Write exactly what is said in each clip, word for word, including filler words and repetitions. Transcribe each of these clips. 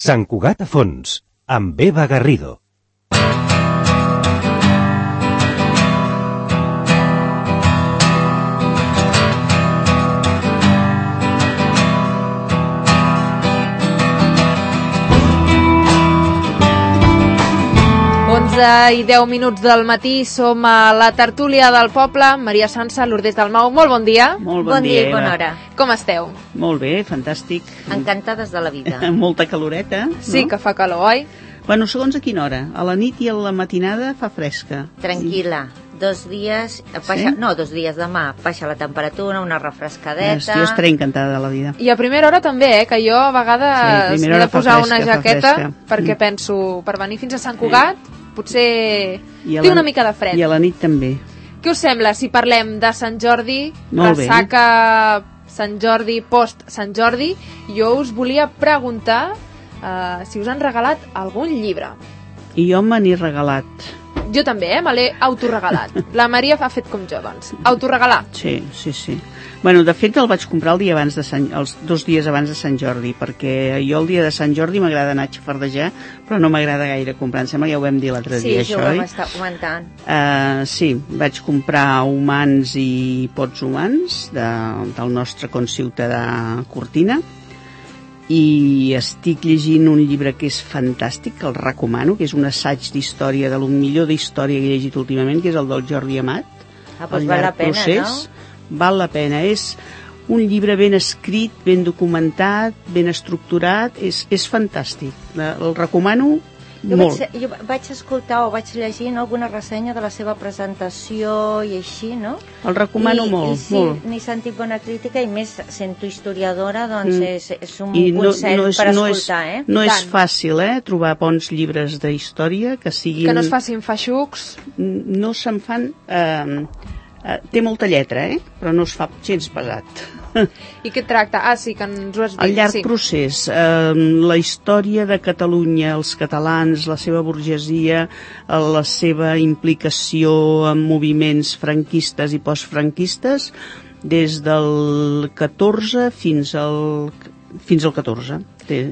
Sant Cugat a fons, amb Eva Garrido. onze i deu minuts del matí, som a la tertúlia del poble. Maria Sança, Lourdes Dalmau, molt bon dia. Molt bon, bon dia, dia i bona hora. Com esteu? Molt bé, fantàstic. Encantades de la vida. Molta caloreta, no? Sí, que fa calor, oi? Bueno, segons a quina hora. A la nit i a la matinada fa fresca. Tranquil·la. Dos dies, baixa, sí? no, dos dies demà, baixa la temperatura, una refrescadeta... Jo estaré encantada de la vida. I a primera hora també, eh, que jo a vegades sí, m'he de posar fresca, una jaqueta perquè mm. penso, per venir fins a Sant Cugat, sí. potser té la, una mica de fred. I a la nit també. Què us sembla si parlem de Sant Jordi, Molt ressaca bé. Sant Jordi, post Sant Jordi? Jo us volia preguntar uh, si us han regalat algun llibre. I jo me n'he regalat. Jo també, eh? Me l'he autoregalat. La Maria ha fet com jo, doncs. Autoregalar. Sí, sí, sí. Bueno, de fet el vaig comprar el dia abans de Sant, els dos dies abans de Sant Jordi, perquè jo el dia de Sant Jordi m'agrada anar a xafardejar, però no m'agrada gaire comprar. Em sembla que ja ho vam dir l'altre sí, dia, això, això, oi? Sí, ho vam estar comentant. Uh, sí, vaig comprar Humans i Pots Humans, de, del nostre conciutadà Cortina, i estic llegint un llibre que és fantàstic, que el recomano, que és un assaig d'història, de lo millor d'història que he llegit últimament, que és el del Jordi Amat. Ah, doncs val la pena, procés. no? Val la pena. És un llibre ben escrit, ben documentat, ben estructurat, és, és fantàstic. El recomano jo molt. Vaig, jo vaig escoltar o vaig llegir alguna ressenya de la seva presentació i així, no? El recomano I, molt, i sí, molt. n'he sentit bona crítica i més sento historiadora, doncs mm. és, és un I no, consell no és, per no escoltar, és, eh? No Tant. és fàcil, eh, trobar bons llibres de història que siguin... Que no es facin feixucs. No se'n fan... Eh, eh, té molta lletra, eh? Però no es fa gens pesat. I què tracta? Ah, sí, que ens ho has dit. El llarg sí. procés, eh, la història de Catalunya, els catalans, la seva burgesia, la seva implicació en moviments franquistes i postfranquistes, des del catorze fins al, fins al catorze. Té,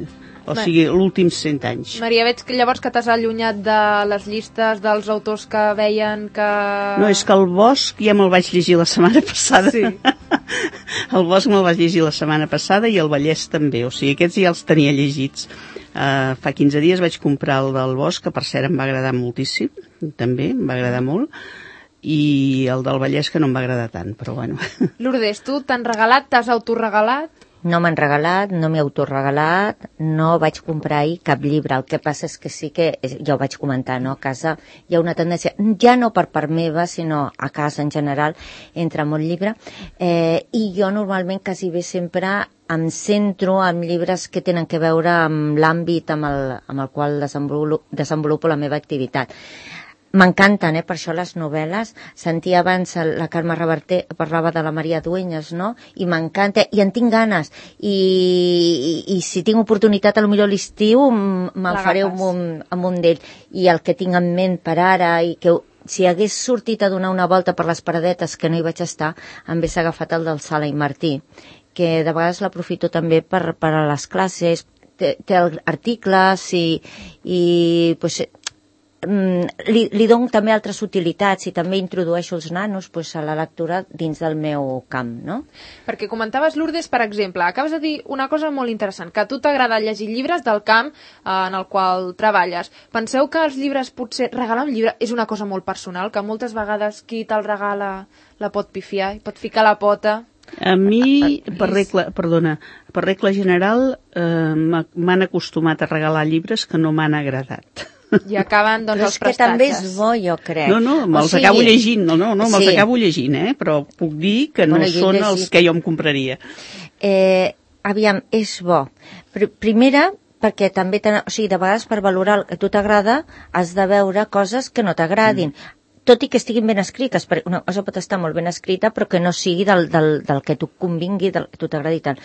o sigui, l'últims cent anys. Maria, veig que llavors que t'has allunyat de les llistes dels autors que veien que... No, és que el Bosch ja me'l vaig llegir la setmana passada. Sí. El Bosch me'l vaig llegir la setmana passada i el Vallès també, o sigui, aquests ja els tenia llegits. Uh, fa quinze dies vaig comprar el del Bosch, que per cert em va agradar moltíssim, també, em va agradar molt, i el del Vallès que no em va agradar tant, però bueno. Lourdes, tu t'han regalat, t'has autoregalat? No m'han regalat, no m'he autoregalat, no vaig comprar ahir cap llibre. El que passa és que sí que, ja ho vaig comentar, no? A casa hi ha una tendència, ja no per part meva, sinó a casa en general, entra molt llibre. Eh, I jo normalment quasi bé sempre em centro en llibres que tenen que veure amb l'àmbit amb el, amb el qual desenvolupo, desenvolupo la meva activitat. M'encanten, eh, per això les novel·les. Sentia abans la Carme Reverter, parlava de la Maria Dueñas, no? I m'encanta, i en tinc ganes. I, i, i si tinc oportunitat, a lo millor l'estiu, me'l faré amb un, amb un d'ell. I el que tinc en ment per ara, i que si hagués sortit a donar una volta per les paradetes que no hi vaig estar, em hagués agafat el del Sala i Martí, que de vegades l'aprofito també per, per a les classes, té, té articles i, i pues, Li, li dono també altres utilitats i també introdueixo els nanos pues, a la lectura dins del meu camp, no? Perquè comentaves, Lourdes, per exemple, acabes de dir una cosa molt interessant, que a tu t'agrada llegir llibres del camp eh, en el qual treballes. Penseu que els llibres, potser regalar un llibre és una cosa molt personal, que moltes vegades qui te'l regala la pot pifiar i pot ficar la pota... A mi, per regla, perdona, per regla general, eh, m'han acostumat a regalar llibres que no m'han agradat. I acaben, doncs, però els és prestatges. que també és bo, jo crec. No, no, me'ls o sigui... acabo llegint, no, no, no me'ls sí. acabo llegint, eh? Però puc dir que no bueno, són llegit... els que jo em compraria. Eh, aviam, és bo. Primera, perquè també, o sigui, de vegades per valorar el que a tu t'agrada has de veure coses que no t'agradin. Mm. Tot i que estiguin ben escrites, perquè una cosa pot estar molt ben escrita, però que no sigui del, del, del que tu convingui, del que tu t'agradi tant.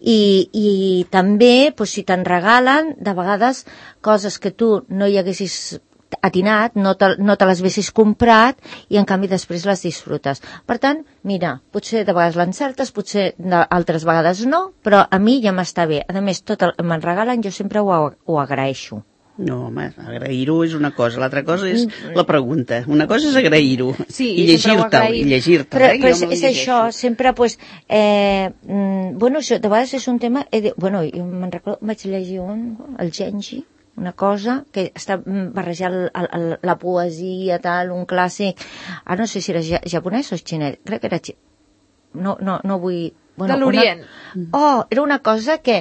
I, i també, doncs, si te'n regalen, de vegades, coses que tu no hi haguessis atinat, no te, no te les haguessis comprat i en canvi després les disfrutes. Per tant, mira, potser de vegades l'encertes, potser altres vegades no, però a mi ja m'està bé. A més, tot el que me'n regalen jo sempre ho, ho agraeixo. No, home, agrair-ho és una cosa, l'altra cosa és la pregunta. Una cosa és agrair-ho sí, i llegir-te'l, i llegir-te'l. Però, eh? però és, és això, sempre, pues, eh, mm, bueno, això, de vegades és un tema, eh, de, bueno, jo me'n recordo, vaig llegir un, el Genji, una cosa que està barrejant el, el, la poesia, tal, un clàssic, ah, no sé si era japonès o xinès, crec que era xinès, no, no, no vull... Bueno, de l'Orient. Una... Oh, era una cosa que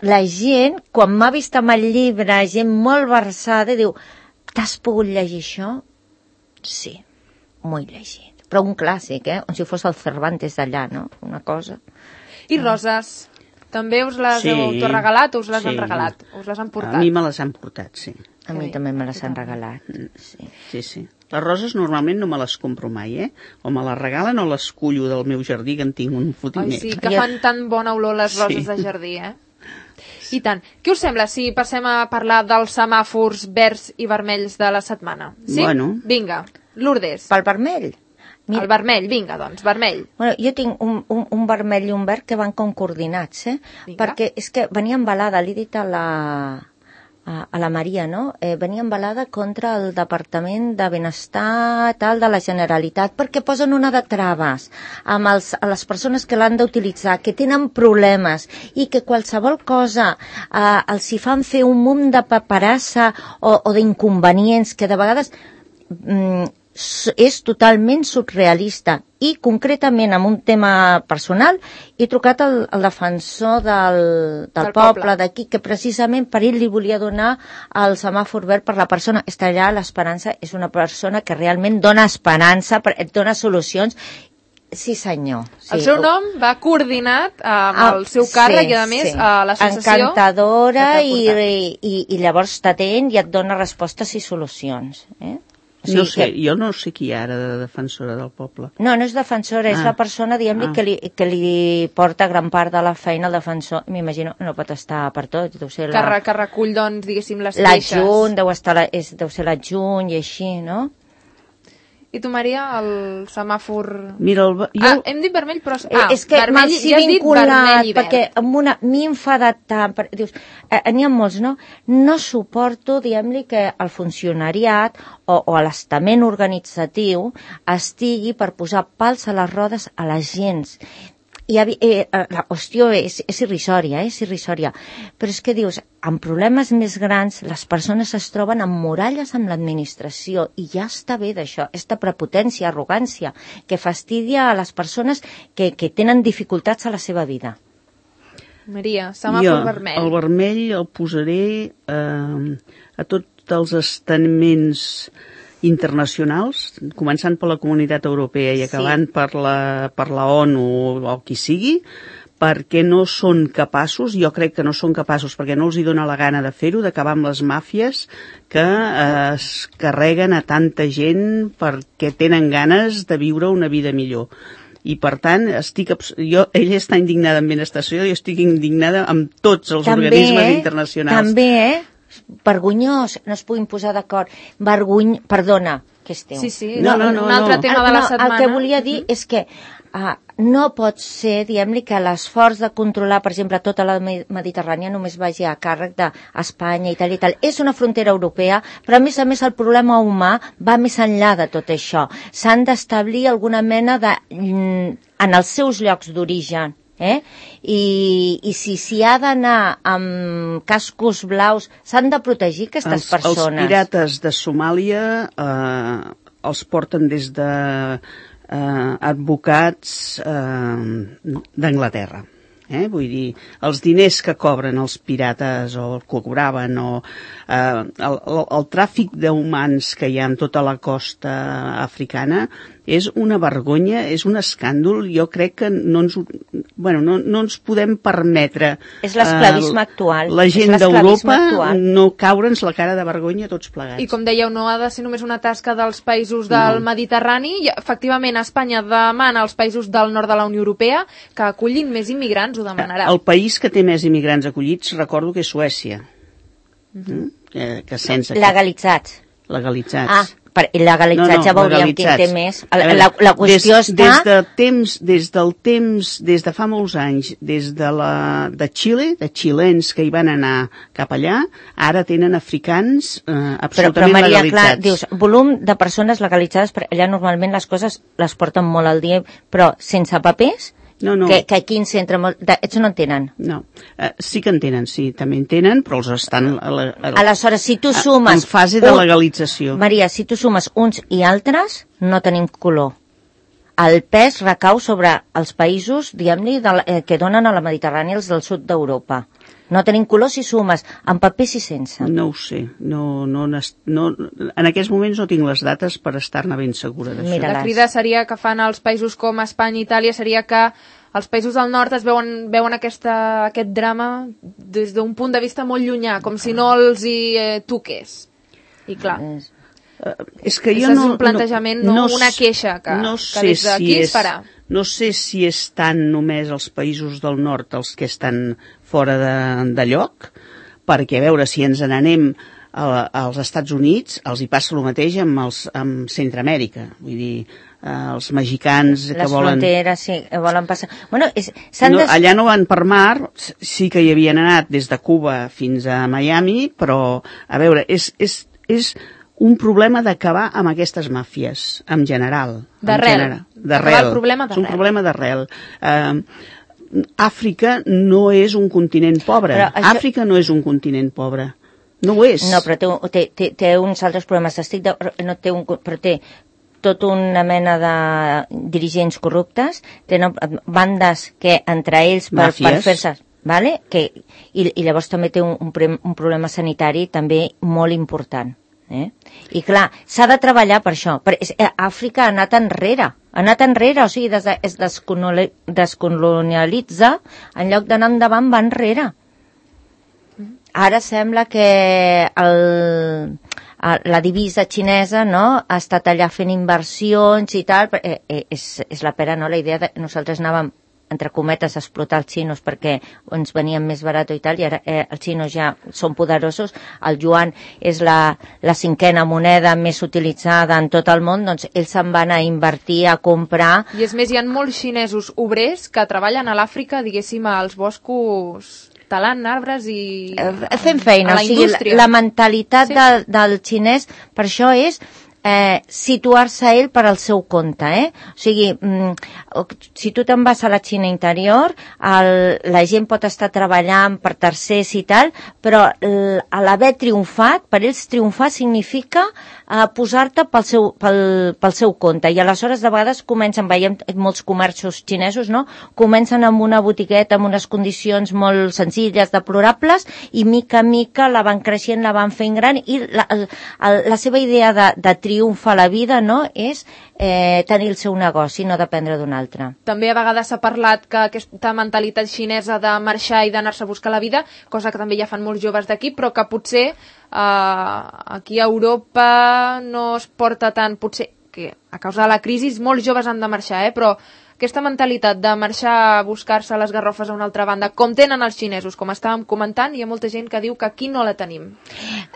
la gent, quan m'ha vist amb el llibre, gent molt versada, diu, t'has pogut llegir això? Sí, m'ho he llegit. Però un clàssic, eh? Com si fos el Cervantes d'allà, no? Una cosa. I roses? També us les sí, heu autoregalat o us les sí. han regalat? Us les han portat? A mi me les han portat, sí. A mi també me les han regalat, sí. Sí, sí. Les roses normalment no me les compro mai, eh? O me les regalen o les cullo del meu jardí, que en tinc un fotimer. Ai, sí, que fan tan bona olor les roses sí. de jardí, eh? I tant. Què us sembla si passem a parlar dels semàfors verds i vermells de la setmana? Sí? Bueno. Vinga, Lourdes. Pel vermell? Mira. El vermell, vinga, doncs, vermell. Bueno, jo tinc un, un, un vermell i un verd que van com coordinats, eh? Vinga. Perquè és que venia embalada, l'he dit a la... a la Maria, no? Eh, venia embalada contra el Departament de Benestar tal de la Generalitat, perquè posen una de traves amb els, a les persones que l'han d'utilitzar, que tenen problemes i que qualsevol cosa eh, els hi fan fer un munt de paperassa o, o d'inconvenients que de vegades mm, és totalment surrealista. I concretament amb un tema personal he trucat al, al defensor del, del, del poble, poble d'aquí, que precisament per ell li volia donar el semàfor verd per la persona. Està allà l'Esperança, és una persona que realment dona esperança, et dona solucions. Sí, senyor. Sí. El seu nom va coordinat amb ah, el seu càrrec sí, i, a més, sí. a l'associació... Encantadora i, i, i llavors t'atén i et dona respostes i solucions. Eh? O sigui, no sé, que... jo no sé qui ara de defensora del poble. No, no és defensora, ah. és la persona, diguem-li, ah. que, li, que li porta gran part de la feina al defensor. M'imagino, no pot estar per tot. Deu ser la... que, que recull, doncs, diguéssim, les queixes. L'adjunt, deu, estar la, és, deu ser l'adjunt i així, no? I tu, Maria, el semàfor... Mira, el... jo... Ah, hem dit vermell, però... Ah, és que vermell, ja has dit vermell i verd. Perquè amb una... m'he enfadat tant... Per... Dius, eh, n'hi ha molts, no? No suporto, diguem-li, que el funcionariat o, o l'estament organitzatiu estigui per posar pals a les rodes a la gent. I, eh, la qüestió és, és irrisòria, eh? és irrisòria. Però és que dius, amb problemes més grans, les persones es troben amb muralles amb l'administració i ja està bé d'això, aquesta prepotència, arrogància, que fastidia a les persones que, que tenen dificultats a la seva vida. Maria, semàfor vermell. El vermell el posaré eh, a tots els estaments internacionals, començant per la Comunitat Europea i acabant sí. per, la, per la ONU o qui sigui, perquè no són capaços, jo crec que no són capaços, perquè no els hi dona la gana de fer-ho, d'acabar amb les màfies que eh, es carreguen a tanta gent perquè tenen ganes de viure una vida millor. I per tant, estic, jo, ella està indignada amb Benestació i jo estic indignada amb tots els també, organismes eh? internacionals. També, eh? Vergonyós, no es puguin posar d'acord. Vergony... Perdona, que esteu. Sí, sí, no, no, no, un altre no. tema de la setmana. El que volia dir és que uh, no pot ser, diguem-li, que l'esforç de controlar, per exemple, tota la Mediterrània només vagi a càrrec d'Espanya i tal i tal. És una frontera europea, però a més a més el problema humà va més enllà de tot això. S'han d'establir alguna mena de... en els seus llocs d'origen. Eh? I, i si s'hi ha d'anar amb cascos blaus, s'han de protegir aquestes els, persones. Els pirates de Somàlia eh, els porten des de eh, advocats eh, d'Anglaterra. Eh? Vull dir, els diners que cobren els pirates o el que cobraven o eh, el, el, el tràfic d'humans que hi ha en tota la costa africana és una vergonya, és un escàndol. Jo crec que no ens, bueno, no, no ens podem permetre... És l'esclavisme uh, actual. La gent d'Europa no caure'ns la cara de vergonya tots plegats. I com dèieu, no ha de ser només una tasca dels països del no. Mediterrani. I, efectivament, Espanya demana als països del nord de la Unió Europea que acullin més immigrants, ho demanarà. El país que té més immigrants acollits, recordo que és Suècia. Mm-hmm. Mm? Que, que sense... Legalitzats. legalitzats. Ah, per legalitzats no, no, ja veuríem qui té més. La, la, la qüestió des, està... Des, de temps, des del temps, des de fa molts anys, des de, la, de Xile, de xilens que hi van anar cap allà, ara tenen africans eh, absolutament però, però, Maria, legalitzats. Clar, dius, volum de persones legalitzades, allà normalment les coses les porten molt al dia, però sense papers... No, no. Que, que aquí en centre... Ells no en tenen. No, uh, sí que en tenen, sí, també en tenen, però els estan... A la, a la, Aleshores, si tu sumes... En fase de legalització. Un, Maria, si tu sumes uns i altres, no tenim color. El pes recau sobre els països, diguem-li, eh, que donen a la Mediterrània, els del sud d'Europa. No tenim color si sumes, amb papers i sense. No ho sé. No, no, no, en aquests moments no tinc les dates per estar-ne ben segura d'això. La crida seria que fan els països com Espanya i Itàlia, seria que els països del nord es veuen, veuen aquesta, aquest drama des d'un punt de vista molt llunyà, com si no els hi eh, toqués. I clar... Uh, és que jo és no, un plantejament, no, no, no una queixa que, no que des d'aquí si es farà. No sé si estan només els països del nord els que estan fora de, de lloc, perquè a veure si ens n'anem als Estats Units, els hi passa el mateix amb, els, amb Centroamèrica. Vull dir, eh, els mexicans que les volen... Les fronteres, sí, volen passar... Bueno, és, no, des... Allà no van per mar, sí que hi havien anat des de Cuba fins a Miami, però, a veure, és... és, és un problema d'acabar amb aquestes màfies, en general. D'arrel. D'arrel. És un problema d'arrel. Uh, Àfrica no és un continent pobre. Això... Àfrica no és un continent pobre. No ho és. No, però té, té, té, té uns altres problemes. Estic de... no té un... però té tota una mena de dirigents corruptes, tenen bandes que entre ells per, per fer-se... Vale? Que, i, I llavors també té un, un, un problema sanitari també molt important. Eh? I clar, s'ha de treballar per això. Per, és, Àfrica ha anat enrere, ha anat enrere, o sigui, des de, es descolonialitza, en lloc d'anar endavant va enrere. Ara sembla que el, la divisa xinesa, no?, ha estat allà fent inversions i tal, eh, eh, és, és la pera, no?, la idea de nosaltres anàvem entre cometes, a explotar els xinos perquè ens venien més barat i tal, i ara eh, els xinos ja són poderosos, el yuan és la, la cinquena moneda més utilitzada en tot el món, doncs ells se'n van a invertir, a comprar... I és més, hi ha molts xinesos obrers que treballen a l'Àfrica, diguéssim, als boscos... talant arbres i... Fent feina, o sigui, la, la mentalitat sí. del, del xinès, per això és... Eh, situar-se ell per al seu compte, eh? O sigui, mm, si tu te'n vas a la Xina interior, el, la gent pot estar treballant per tercers i tal, però a l'haver triomfat, per ells triomfar significa eh, posar-te pel seu, pel, pel seu compte, i aleshores de vegades comencen, veiem molts comerços xinesos, no?, comencen amb una botigueta amb unes condicions molt senzilles, deplorables, i mica a mica la van creixent, la van fent gran, i la, la, la seva idea de, de triomfa a la vida, no?, és eh, tenir el seu negoci, no dependre d'un altre. També a vegades s'ha parlat que aquesta mentalitat xinesa de marxar i d'anar-se a buscar la vida, cosa que també ja fan molts joves d'aquí, però que potser eh, aquí a Europa no es porta tant, potser que a causa de la crisi molts joves han de marxar, eh, però aquesta mentalitat de marxar a buscar-se les garrofes a una altra banda, com tenen els xinesos, com estàvem comentant, hi ha molta gent que diu que aquí no la tenim.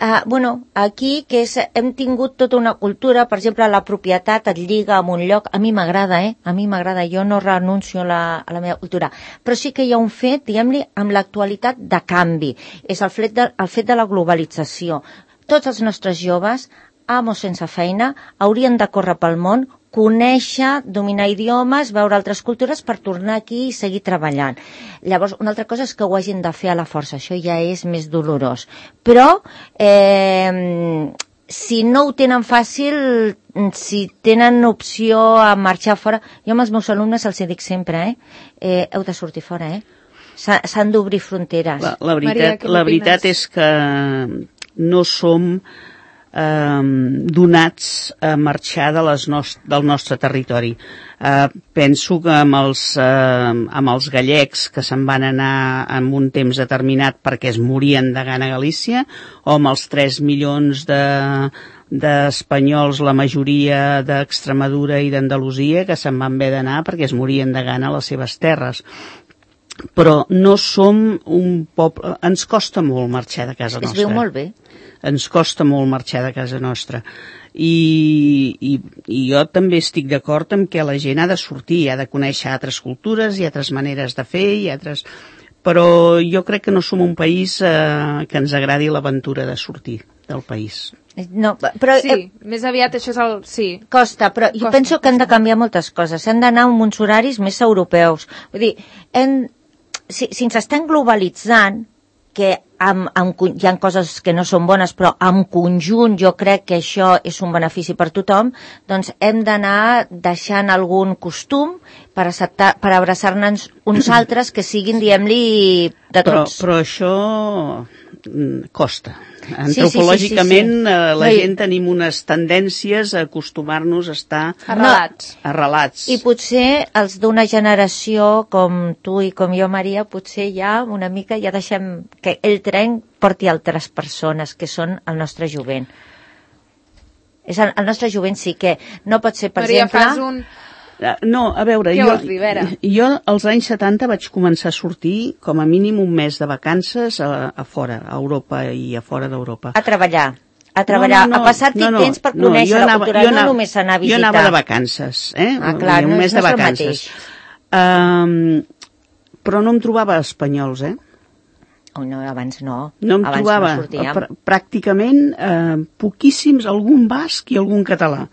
Uh, bueno, aquí que és, hem tingut tota una cultura, per exemple, la propietat et lliga amb un lloc, a mi m'agrada, eh? A mi m'agrada, jo no renuncio a la, a la meva cultura, però sí que hi ha un fet, diguem-li, amb l'actualitat de canvi, és el fet de, el fet de la globalització. Tots els nostres joves, amos sense feina, haurien de córrer pel món, conèixer, dominar idiomes, veure altres cultures per tornar aquí i seguir treballant. Llavors, una altra cosa és que ho hagin de fer a la força, això ja és més dolorós. Però, eh, si no ho tenen fàcil, si tenen opció a marxar fora, jo amb els meus alumnes els dic sempre, eh, eh heu de sortir fora, eh? S'han d'obrir fronteres. La, la veritat, Maria, la veritat és que no som... Um, donats a marxar de les nost del nostre territori. Uh, penso que amb els, uh, amb els gallecs que se'n van anar en un temps determinat perquè es morien de gana a Galícia, o amb els tres milions de d'espanyols, la majoria d'Extremadura i d'Andalusia, que se'n van haver d'anar perquè es morien de gana a les seves terres. però no som un poble... Ens costa molt marxar de casa Es nostra. viu molt bé. Ens costa molt marxar de casa nostra. I, i, i jo també estic d'acord amb que la gent ha de sortir, ha de conèixer altres cultures i altres maneres de fer i altres... Però jo crec que no som un país eh, que ens agradi l'aventura de sortir del país. No, però... Sí, Eh, més aviat això és el... Sí. costa, però jo Costa, penso que hem de canviar moltes coses. Hem d'anar amb uns horaris més europeus. Vull dir, hem, si, si ens estem globalitzant, que amb, amb, hi ha coses que no són bones, però en conjunt jo crec que això és un benefici per tothom, doncs hem d'anar deixant algun costum per, acceptar, per abraçar-nos uns altres que siguin, diguem-li, de Però, tots. però això mm, costa. Sí, sí, sí, Antropològicament, sí, sí. eh, la No, i- gent tenim unes tendències a acostumar-nos a estar Arrelats. arrelats. I potser els d'una generació com tu i com jo, Maria, potser ja una mica ja deixem que el tren porti altres persones, que són el nostre jovent. És el, el nostre jovent sí que no pot ser, per Maria, exemple... fas un... Eh, No, a veure, Què jo, vols dir, Vera? jo als anys setanta vaig començar a sortir com a mínim un mes de vacances a, a fora, a Europa i a fora d'Europa. A treballar, a treballar, No, no, no, a passar-t'hi no, no, temps per no, conèixer jo la anava- cultura, jo no anava- només anar a visitar. Jo anava de vacances, eh? Ah, clar, un no mes és- de no és el vacances. mateix. Um, però no em trobava espanyols, eh? Oh, no, abans no. No em abans trobava, no sortíem. pr pràcticament eh, poquíssims, algun basc i algun català,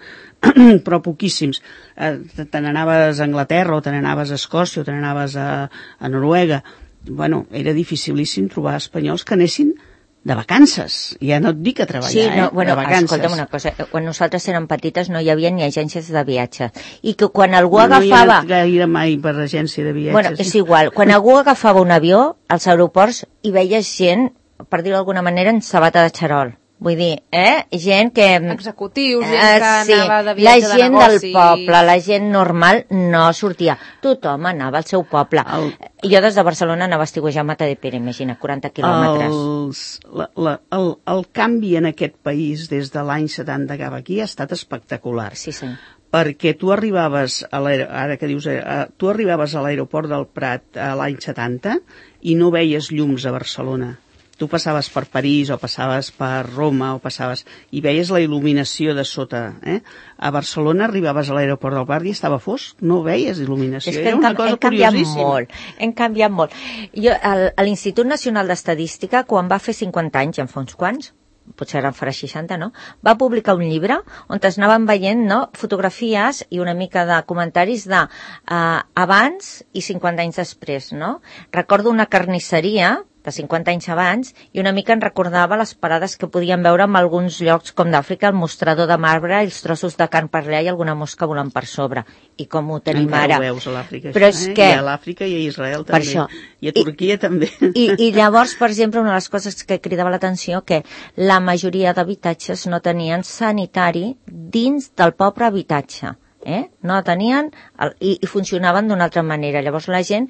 però poquíssims. Eh, te n'anaves a Anglaterra o te n'anaves a Escòcia o te n'anaves a, a Noruega. Bueno, era dificilíssim trobar espanyols que anessin de vacances. Ja no et dic a treballar, Sí, no, eh? bueno, de vacances. escolta'm una cosa, quan nosaltres érem petites no hi havia ni agències de viatge, i que quan algú no, no hi he agafava... anat gaire mai per agència de viatges. Bueno, és igual, quan algú agafava un avió, als aeroports hi veies gent, per dir-ho d'alguna manera, en sabata de xarol. Vull dir, eh? Gent que... Executius, gent Eh, que sí, anava de la viatge de gent negoci. del poble, la gent normal no sortia. Tothom anava al seu poble. El- Jo des de Barcelona anava a estiuejar a Matadepera, imagina, quaranta quilòmetres. Els, la, la, el, el canvi en aquest país des de l'any setanta cap aquí ha estat espectacular. Sí, sí. Perquè tu arribaves a l'aer- ara que dius, eh, tu arribaves a l'aeroport del Prat a l'any setanta i no veies llums a Barcelona. Tu passaves per París o passaves per Roma o passaves i veies la il·luminació de sota. Eh? A Barcelona arribaves a l'aeroport del Prat i estava fosc, no veies il·luminació. És que Era hem, una cam cosa hem canviat curiosíssima. molt, hem canviat molt. Jo, el, a l'Institut Nacional d'Estadística, quan va fer cinquanta anys, en fa uns quants, potser ara en farà seixanta, no? Va publicar un llibre on es anaven veient, no?, fotografies i una mica de comentaris de uh, abans i cinquanta anys després, no? Recordo una carnisseria de cinquanta anys abans, i una mica en recordava les parades que podíem veure en alguns llocs com d'Àfrica, el mostrador de marbre, els trossos de carn per allà i alguna mosca volant per sobre. I com ho tenim Encara ara. ho veus a l'Àfrica, Però això, és eh? que... I a l'Àfrica i a Israel Per també. això. I a Turquia I, també. I, I llavors, per exemple, una de les coses que cridava l'atenció que la majoria d'habitatges no tenien sanitari dins del pobre habitatge. Eh? No tenien el, i, i funcionaven d'una altra manera. Llavors la gent,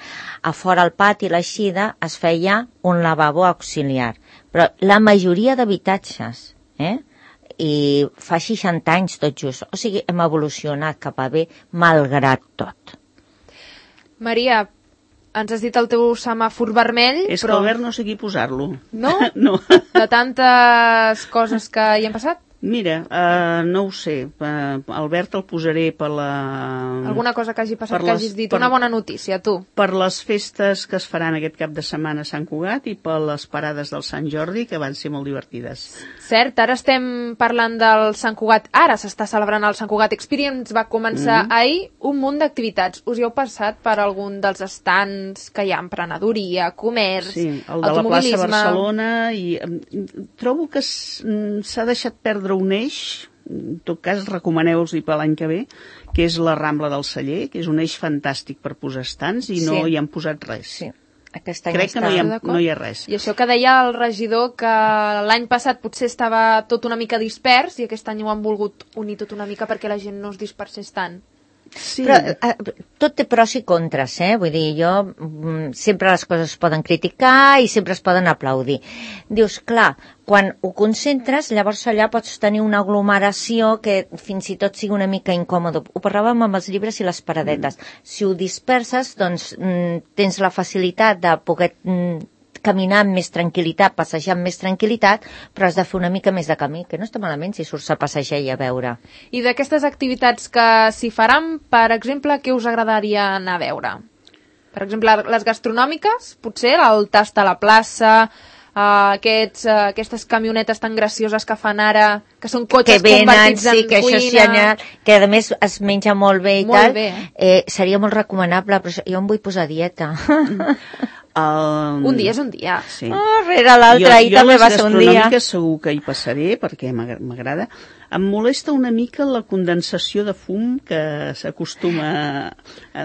a fora al pati, a l'eixida, es feia un lavabo auxiliar. Però la majoria d'habitatges, eh? I fa seixanta anys tot just, o sigui, hem evolucionat cap a bé, malgrat tot. Maria, ens has dit el teu semàfor vermell, És però... que Albert no sé qui posar-lo. No? No. De tantes coses que hi han passat? Mira, uh, no ho sé. Uh, Albert el posaré per la... Alguna cosa que hagi passat per que les- hagis dit? per- Una bona notícia, tu. Per les festes que es faran aquest cap de setmana a Sant Cugat i per les parades del Sant Jordi, que van ser molt divertides. Cert, ara estem parlant del Sant Cugat. Ara s'està celebrant el Sant Cugat Experience. Va començar Mhm. ahir un munt d'activitats. Us hi heu passat per algun dels estants que hi ha emprenedoria, comerç, Sí, el de la plaça automobilisme... Barcelona, i em, trobo que s- mm, s'ha deixat perdre un eix, en tot cas recomaneu-los-hi per l'any que ve, que és la Rambla del Celler, que és un eix fantàstic per posar estants i no Sí. hi han posat res. Sí. Aquest any Crec que està... no hi, ha, d'acord. no hi ha res. I això que deia el regidor, que l'any passat potser estava tot una mica dispers i aquest any ho han volgut unir tot una mica perquè la gent no es dispersés tant. Sí. Però eh, tot té pros i contres, eh? Vull dir, jo mm, sempre les coses es poden criticar i sempre es poden aplaudir. Dius, clar, quan ho concentres, llavors allà pots tenir una aglomeració que fins i tot sigui una mica incòmode. Ho parlàvem amb els llibres i les paradetes. Mm. Si ho disperses, doncs mm, tens la facilitat de poder mm, caminar amb més tranquil·litat, passejar amb més tranquil·litat, però has de fer una mica més de camí, que no està malament si surts a passejar i a veure. I d'aquestes activitats que s'hi faran, per exemple, què us agradaria anar a veure? Per exemple, les gastronòmiques, potser, el tast a la plaça, Uh, aquests, uh, aquestes camionetes tan gracioses que fan ara, que són cotxes que venen, convertits en sí, que cuina. Això sí, anar, que a més es menja molt bé i molt tal. Bé. Eh, seria molt recomanable, però jo em vull posar a dieta. Um, un dia és un dia. Sí. Oh, rere l'altre, ahir també va ser un dia. Jo segur que hi passaré, perquè m'agrada. Em molesta una mica la condensació de fum que s'acostuma,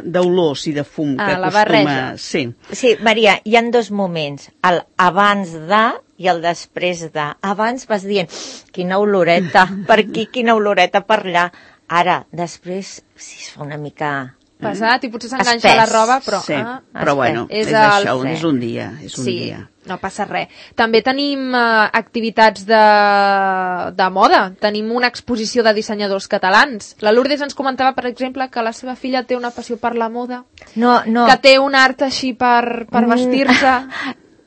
d'olors i de fum que ah, acostuma... La barreja. Sí. Sí, Maria, hi ha dos moments, el abans de i el després de. Abans vas dient, quina oloreta per aquí, quina oloreta per allà. Ara, després, si es fa una mica... pesat i potser s'enganxa la roba, però... Sí, ah, però bueno, és, és el... això, és un dia, és un sí, dia. No passa res. També tenim uh, activitats de, de moda. Tenim una exposició de dissenyadors catalans. La Lourdes ens comentava, per exemple, que la seva filla té una passió per la moda, no, no. que té un art així per, per vestir-se...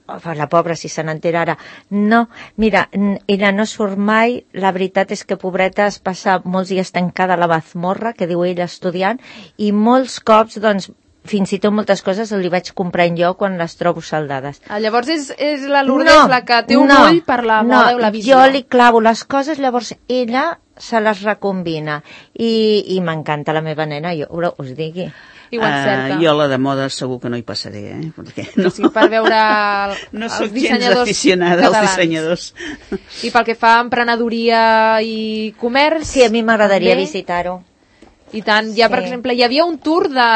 La pobra, si se n'entera ara. No, mira, ella no surt mai, la veritat és que, pobreta, es passa molts dies tancada a la mazmorra, que diu ella estudiant, i molts cops, doncs, fins i tot moltes coses li vaig comprant jo quan les trobo saldades. Ah, llavors és, és la Lourdes no, la que té un no, ull per la moda no, i la visió. Jo li clavo les coses, llavors ella se les recombina. I, i m'encanta la meva nena, jo us digui. Uh, jo la de moda segur que no hi passaré, eh? Perquè no, sí, per veure el, no els soc dissenyadors gens aficionada catalans. als dissenyadors. I pel que fa a emprenedoria i comerç... Sí, a mi m'agradaria visitar-ho. I tant, ja, sí. Per exemple, hi havia un tour de,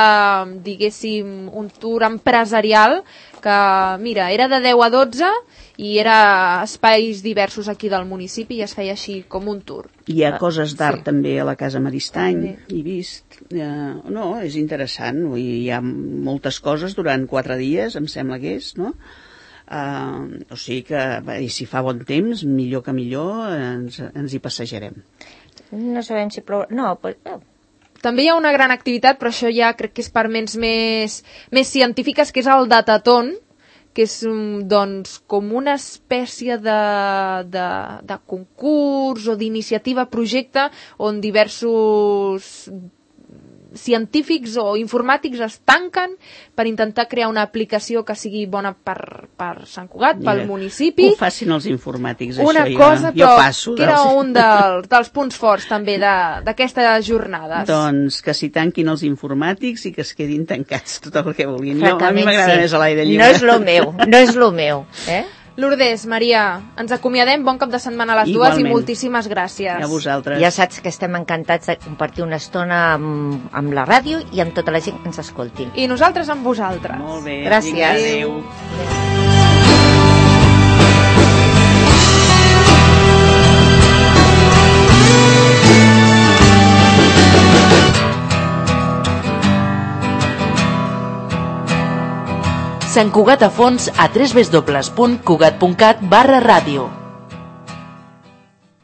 diguéssim, un tour empresarial que, mira, era de deu a dotze i era espais diversos aquí del municipi i es feia així com un tour. Hi ha coses d'art sí. també a la Casa Maristany, sí. he vist. Uh, no, és interessant, hi ha moltes coses durant quatre dies, em sembla que és, no? Uh, o sigui que, i si fa bon temps, millor que millor, ens, ens hi passejarem. No sabem si plou... No, pues... També hi ha una gran activitat, però això ja crec que és per ments més, més científiques, que és el Dataton, que és doncs, com una espècie de, de, de concurs o d'iniciativa, projecte, on diversos científics o informàtics es tanquen per intentar crear una aplicació que sigui bona per, per Sant Cugat, pel municipi. Que ho facin els informàtics, una això. Cosa, jo, jo passo. Que era un del, dels punts forts també d'aquestes jornades. Doncs que s'hi tanquin els informàtics i que es quedin tancats tot el que vulguin. Jo, a mi m'agrada sí. més a l'aire lliure. No és lo meu, no és lo meu. Eh? Lourdes, Maria, ens acomiadem, bon cap de setmana a les Igualment. dues i moltíssimes gràcies. A vosaltres. Ja saps que estem encantats de compartir una estona amb, amb la ràdio i amb tota la gent que ens escolti. I nosaltres amb vosaltres. Molt bé. Gràcies. Adéu. Sant Cugat a fons a w w w punt cugat punt cat barra ràdio.